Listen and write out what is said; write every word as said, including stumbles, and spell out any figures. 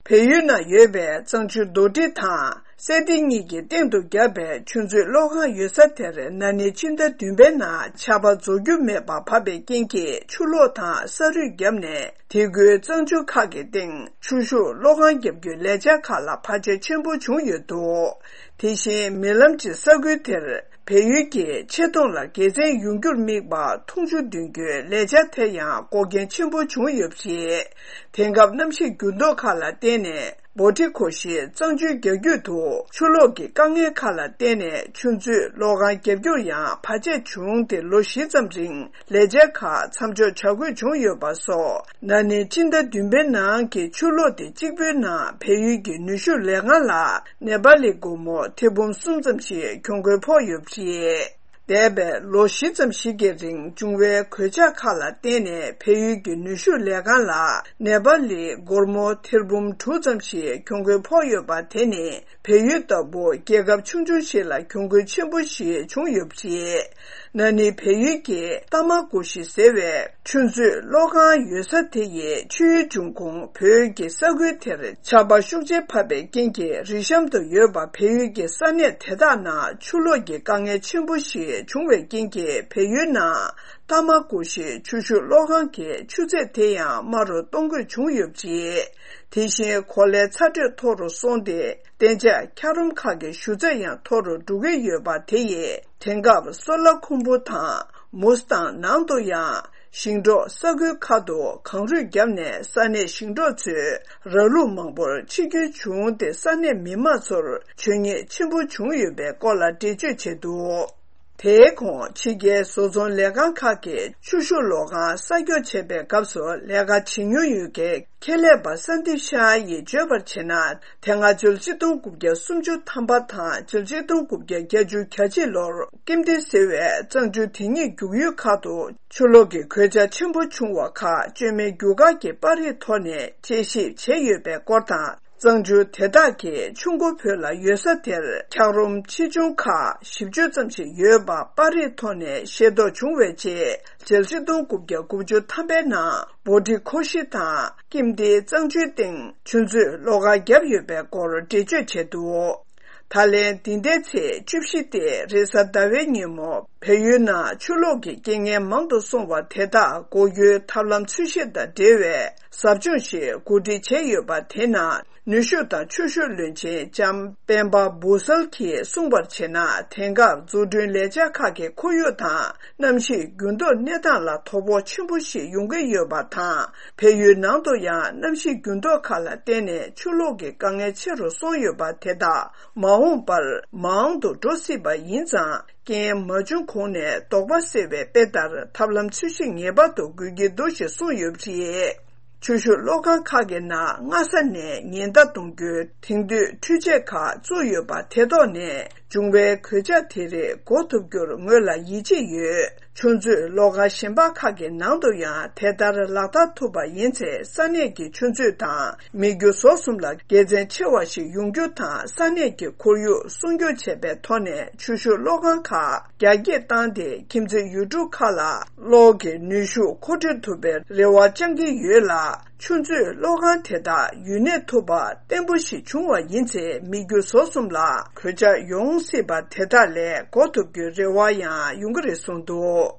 བལ་ཡུལ་ནང་ཡོད་པའི་གཙང་ཆུ་རྡོ་སྒྲིལ་དང་སེ་ཏི་གཉིས་ཀྱི་སྟེང་དུ་བརྒྱབ་པའི་ཆུ་མཛོད་གློག་ཁང་ཡོད་ས་དེར་ན་ནིང་ཕྱི་ཟླ་བདུན་པའི་ནང་ཆར་པ་རྫོགས་རྒྱུ་མེད་པར་བབས་པའི་རྐྱེན་གྱིས་ཆུ་ལོག་དང་ས་རུད་བརྒྱབ་ནས། དེ་ཁུལ་གཙང་ཆུ་ཁག་གི་སྟེང་ཆུ་ཤུགས་གློག་ཁང་བརྒྱབ་རྒྱུའི་ལས་འཆར་ཁག་ལ་བར་ཆད་ཆེན་པོ་བྱུང་ཡོད་འདུག་དེ་བཞིན་མིག་ལམ་གྱི་ས་ཁུལ་དེར་བལ་ཡུལ་གྱི་ཆེ་མཐོང་ལ་དགེ་མཚན་ཡོང་རྒྱུར་དམིགས་པ་འཐུང་ཆུ་འདོན་རྒྱུའི་ལས་འཆར་དེ་ཡང་འགོག་རྐྱེན་ཆེན་པོ་བྱུང་ཡོད་པ་རེད། དེང་སྐབས་གནམ་གཤིས་འགྱུར་ལྡོག་ཁག་ལ་བརྟེན་ནས་སྦོ་ཊི་ཁོ་ཤི་གཙང་ཆུའི་རྒྱ་རྒྱུད་དུ་ཆུ་ལོག་གི་དཀའ་ངལ་ཁག་ལ་བརྟེན་ནས་ཆུ་མཛོད་གློག་ཁང་བརྒྱབ་རྒྱུར་ཡང་བར་ཆད་བྱུང་སྟེ། ལོ་བཞི་ཙམ་རིང་ལས་འཆར་ཁག་མཚམས་འཇོག་བྱ་དགོས་བྱུང་ཡོད་པ་སོགས། ན་ནིང་ཕྱི་ཟླ་བདུན་པའི་ནང་གི་ཆུ་ལོག་དེ་གཅིག་པུའི་ནང་བལ་ཡུལ་གྱི་ནུས་ཤུགས་ལས་ཁང་ལ་ནེ་པ་ལི་སྒོར་མོ་ཐེར་འབུམ་གསུམ་ཙམ་ཞིག་གྱོང་གུན་ཕོག་ཡོད་པ་རེད། འདས་པའི་ལོ་བཞི་ཙམ་ཞིག་གི་རིང་བྱུང་བའི་གོད་ཆག་ཁག་ལ་བརྟེན་ནས་བལ་ཡུལ་གྱི་ནུས་ཤུགས་ལས་ཁང་ལ་ནེ་པ་ལིའི་སྒོར་མོ་ཐེར་འབུམ་དྲུག་ཙམ་ཞིག་གྱོང་གུན་ཕོག་ཡོད་པ་དེ་ནི། བལ་ཡུལ་ལྟ་བུ་རྒྱལ་ཁབ་ཆུང་ཆུང་ཞིག་ལ་གྱོང་གུན་ཆེན་པོ་ཞིག་བྱུང་ཡོད་པ་རེད། ན་ནིང་བལ་ཡུལ་གྱི་ཏ་མ་ཀུ་ཤི་ཟེར་བའི་ཆུ་མཛོད་གློག་ཁང་ཡོད་ས་དེ་ཡི་ཆུའི་འབྱུང་ཁུངས་བོད་ཀྱི་ས་ཁུལ་དེར་ཆར་པ་ཤུགས་ཆེ་བབས་པའི་རྐྱེན་གྱིས་རི་གཤམ་དུ་ཡོད་པ་བལ་ཡུལ་གྱི་ས་གནས་དེ་དག་ནང་ཆུ་ལོག་གི་དཀའ་ངལ་ཆེན་པོ་ཞིག་བྱུང་བའི་རྐྱེན་གྱིས་བལ་ཡུལ་ནང་ཏ་མ་ཀུ་ཤི་ཆུ་ཤུགས་གློག་ཁང་གི་ཆུ་ཚད་དེ་ཡང་དམའ་རུ་གཏོང་དགོས་བྱུང་ཡོད་པ་རེད། དེ་བཞིན་གོ་ལའི་ཚ་དྲོད་མཐོ་རུ་སོང་སྟེ། གཏན་འཇགས་འཁྱགས་རོམ་ཁག་གི་ཞུ་ཚད་ཡང་མཐོ་རུ་འགྲོ་གི་ཡོད་པ་དེ་ཡིས། དེང་སྐབས་སོ་ལ་ཁུམ་བུ་དང་མུ་སི་ཐང་ནང་དུ་ཡང་ཞིང་འབྲོག་ས་ཁུལ་ཁག་ཏུ་གངས་རུད་བརྒྱབ་ནས་ས་གནས་ཞིང་འབྲོག་ཚོའི་ར་ལུག་མང་པོར་འཆི་སྐྱོན་བྱུང་སྟེ། ས་གནས་མི་མང་ཚོར་བྱུས་ཉེས་ཆེན་པོ་བྱུང་ཡོད་པའི་སྐོར་ལ་འགྲེལ་བརྗོད་བྱས་འདུག་དེའི་གོང་ཕྱི་རྒྱལ་བཟོ་ཚོང་ལས་ཁང་ཁག་གིས་ཆུ་ཤུགས་གློག་ཁང་གསར་སྐྱོང་བྱེད་པའི་སྐབས་སུ་ལས་ཀ་བྱེད་མྱོང་ཡོད་མཁན་ཁེ་ལས་པ་སན་དིབ་ཤཱ་ཡིས་བརྗོད་པར་བྱས་ན། དེ་སྔ་ཕྱི་ལོ་ཆིག་སྟོང་དགུ་བརྒྱ་སུམ་ཅུ་ཐམ་པ་དང་ཕྱི་ལོ་ཆིག་སྟོང་དགུ་བརྒྱ་བརྒྱད་ཅུ་གྱ་གཅིག་ལོར་ཀིམ་ཏི་ཟེར་བའི་གཙང་ཆུ་དེ་ཉིད་རྒྱུག་ཡུལ་ཁག་ཏུ་ཆུ་ལོག་གི་གོད་ཆག་ཆེན་པོ་བྱུང་བ་ཁག་བཅོས་མའི་རྒྱུ་སྐར་གྱི་པར་རིས་ཐོག་ནས་དཔྱད་ཞིབ་བྱས་ཡོད་པའི་སྐོར་དང་། གཙང་ཆུ་དེ་དག་གི་ཆུ་མགོ་བོད་ལ་ཡོད་ས་དེར་འཁྱགས་རོམ་ཆེ་ཆུང་ཁག་བཞི་བཅུ་ཙམ་ཞིག་ཡོད་པ་པར་རིས་ཐོག་ནས་ཤེས་རྟོགས་བྱུང་བའི་རྗེས། ཕྱི་ལོ་ཆིག་སྟོང་དགུ་བརྒྱ་དགུ་བཅུ་ཐམ་པའི་ནང་སྦོ་ཊི་ཁོ་ཤི་དང་ཀིམ་ཏི་གཙང་ཆུའི་སྟེང་ཆུ་མཛོད་གློག་ཁང་བརྒྱབ་ཡོད་པའི་སྐོར་འགྲེལ་བརྗོད་བྱས་འདུག་ད་ལན་འདི་ཟླའི་ཚེས་བཅུ་བཞི་སྟེ་རེས་གཟའ་ཟླ་བའི་ཉིན་མོ་བལ་ཡུལ་ནང་ཆུ་ལོག་གི་རྐྱེན་ངན་མང་དུ་སོང་བ་དེ་དག་འགོག་རྒྱུའི་ཐབས་ལམ་འཚོལ་ཞིབ་དང་འབྲེལ་བའི་ཟབ་སྦྱོང་ཞིག་གོ་སྒྲིག་བྱས་ཡོད་པ་དེ་ནང་ནུས་ཤུགས་དང་ཆུ་ཤུགས་བློན་ཆེན་ལྕམ་སྤེན་པ་འབུ་སལ་གྱིས་གསུངས་པར་བྱས་ན། དེང་སྐབས་འཛུགས་སྐྲུན་ལས་འཆར་ཁག་གི་ཁོར་ཡུག་དང་གནམ་གཤིས་འགྱུར་ལྡོག་གནས་སྟངས་ལ་དོ་ཕོག་ཆེན་པོ་ཞིག་ཡོང་གི་ཡོད་པ་དང་། བལ་ཡུལ་ནང་དུ་ཡང་གནམ་གཤིས་འགྱུར་ལྡོག་ཁག་ལ་བརྟེན་ནས་ཆུ་ལོག་གི་དཀའ་ངལ་ཆེ་རུ་སོང་ཡོད་པ་དེ་དག་མ་འོངས་པར་མང་དུ་འགྲོ་སྲིད་པ་ཡིན་ཙང་། རྐྱེན་མ་བྱུང་གོང་ནས་དོགས་པ་སེལ་བའི་དཔེ་ལྟར་ཐབས་ལམ་འཚོལ་ཞིབ་ངེས་པར་དུ་དགོས་ཀྱི་འདུག་ཞེས་གསུངས་ཡོད་པ་རེད། ཆུ་ཤུགས་གློག་ཁང་ཁག་གི་ནང་སྔ་ས་ནས་ཉེན་བརྡ་གཏོང་རྒྱུའི་དེང་དུས་འཕྲུལ་ཆས་ཁག་བཙུགས་ཡོད་པ་དེ་ཐོག་ནས་བྱུང་བའི་གོད་ཆག་དེ་རིགས་འགོག་ཐུབ་རྒྱུར་ངོས་ལ་ཡིད་ཆེས་ཡོད། ཆུ་མཛོད་གློག་ཁང་གཞན་པ་ཁག་གི་ནང་དུ་ཡང་དེ་ལྟར་ལག་བསྟར་ཐུབ་པ་ཡིན་ཚེ། ས་གནས་ཀྱི་ཆུ་མཛོད་དང་མི་རྒྱུ་ཟོག་གསུམ་ལ་དགེ་མཚན་ཆེ་བ་ཞིག་ཡོང་རྒྱུ་དང་། ས་གནས་ཀྱི་ཁོར་ཡུག་སྲུང་སྐྱོབ་བྱས་པའི་ཐོག་ནས་ཆུ་ཤུགས་གློག་ཁང་ཁག་རྒྱ་སྐྱེད་བཏང་སྟེ། ཁྱིམ་མཚེས་ཡུལ་གྲུ་ཁག་ལ་གློག་གི་ནུས་ཤུགས་མཁོ་སྤྲོད་ཐུབ་པའི་རེ་བ་བཅང་གི་ཡོད་ལ། ཆུ་མཛོད་གློག་ཁང་དེ་དག་ཡུན་གནས་ཐུབ་པ་བརྟན་པོ་ཞིག་བྱུང་བ་ཡིན་ཚེ། མི་རྒྱུ་ཟོག་གསུམ་ལ་གོད་ཆག་ཡོང་སྲིད་པ་དེ་དག་ལས་འགོག་ཐུབ་རྒྱུའི་རེ་བ་ཡང་ཡོང་གི་རེད་གསུངས་འདུག